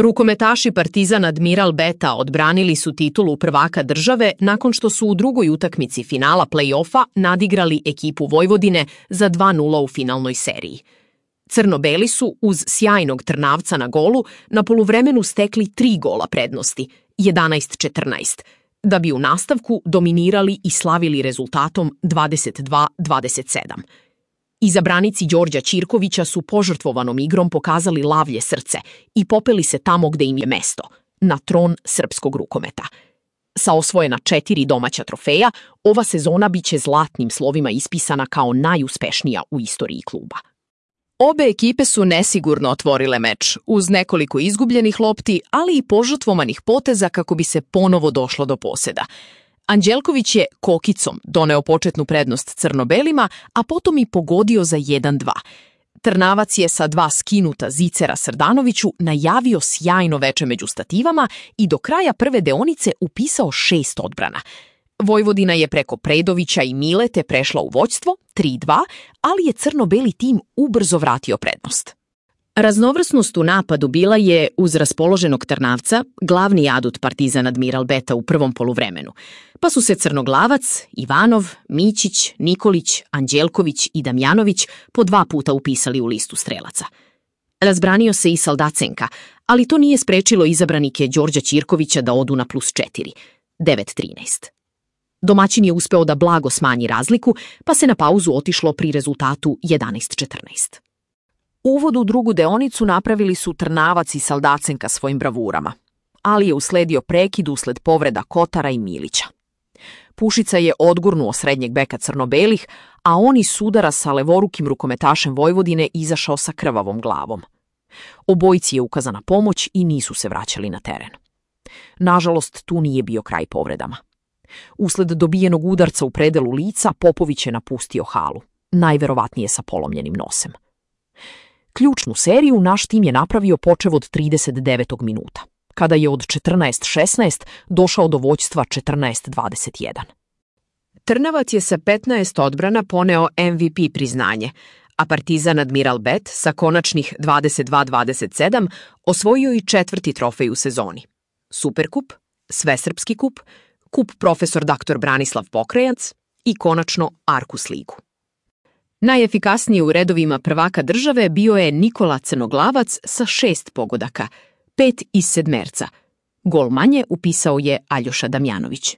Rukometaši Partizan Admiral Beta odbranili su titulu prvaka države nakon što su u drugoj utakmici finala play-offa nadigrali ekipu Vojvodine za 2:0 u finalnoj seriji. Crno-beli su, uz sjajnog Trnavca na golu, na poluvremenu stekli 3 gola prednosti, 11-14, da bi u nastavku dominirali i slavili rezultatom 22-27. Izabranici Đorđa Ćirkovića su požrtvovanom igrom pokazali lavlje srce i popeli se tamo gde im je mesto, na tron srpskog rukometa. Sa osvojena 4 domaća trofeja, ova sezona biće zlatnim slovima ispisana kao najuspešnija u istoriji kluba. Obe ekipe su nesigurno otvorile meč, uz nekoliko izgubljenih lopti, ali i požrtvovanih poteza kako bi se ponovo došlo do poseda. Anđelković je kokicom doneo početnu prednost crno-belima, a potom i pogodio za 1:2. Trnavac je sa 2 skinuta zicera Srdanoviću najavio sjajno veče među stativama i do kraja prve deonice upisao 6 odbrana. Vojvodina je preko Predovića i Milete prešla u vođstvo 3:2, ali je crno-beli tim ubrzo vratio prednost. Raznovrsnost u napadu bila je, uz raspoloženog Trnavca, glavni adut Partizan Admiral Beta u prvom poluvremenu, pa su se Crnoglavac, Ivanov, Mićić, Nikolić, Anđelković i Damjanović po 2 puta upisali u listu strelaca. Razbranio se i Saldacenka, ali to nije sprečilo izabranike Đorđa Ćirkovića da odu na +4, 9-13. Domaćin je uspeo da blago smanji razliku, pa se na pauzu otišlo pri rezultatu 11-14. Uvod u drugu deonicu napravili su Trnavac i Saldacenka svojim bravurama, ali je usledio prekid usled povreda Kotara i Milića. Pušica je odgurnuo srednjeg beka crno-belih, a on iz sudara sa levorukim rukometašem Vojvodine izašao sa krvavom glavom. Obojici je ukazana pomoć i nisu se vraćali na teren. Nažalost, tu nije bio kraj povredama. Usled dobijenog udarca u predelu lica, Popović je napustio halu, najverovatnije sa polomljenim nosem. Ključnu seriju naš tim je napravio počev od 39. minuta, kada je od 14-16 došao do vođstva 14-21. Trnavac je sa 15 odbrana poneo MVP priznanje, a Partizan Admiral Bet sa konačnih 22-27 osvojio i 4. trofej u sezoni. Superkup, Svesrpski kup, kup profesor dr. Branislav Pokrajac i konačno Arkus ligu. Najefikasniji u redovima prvaka države bio je Nikola Crnoglavac sa 6 pogodaka, 5 iz sedmerca. Gol manje upisao je Aljoša Damjanović.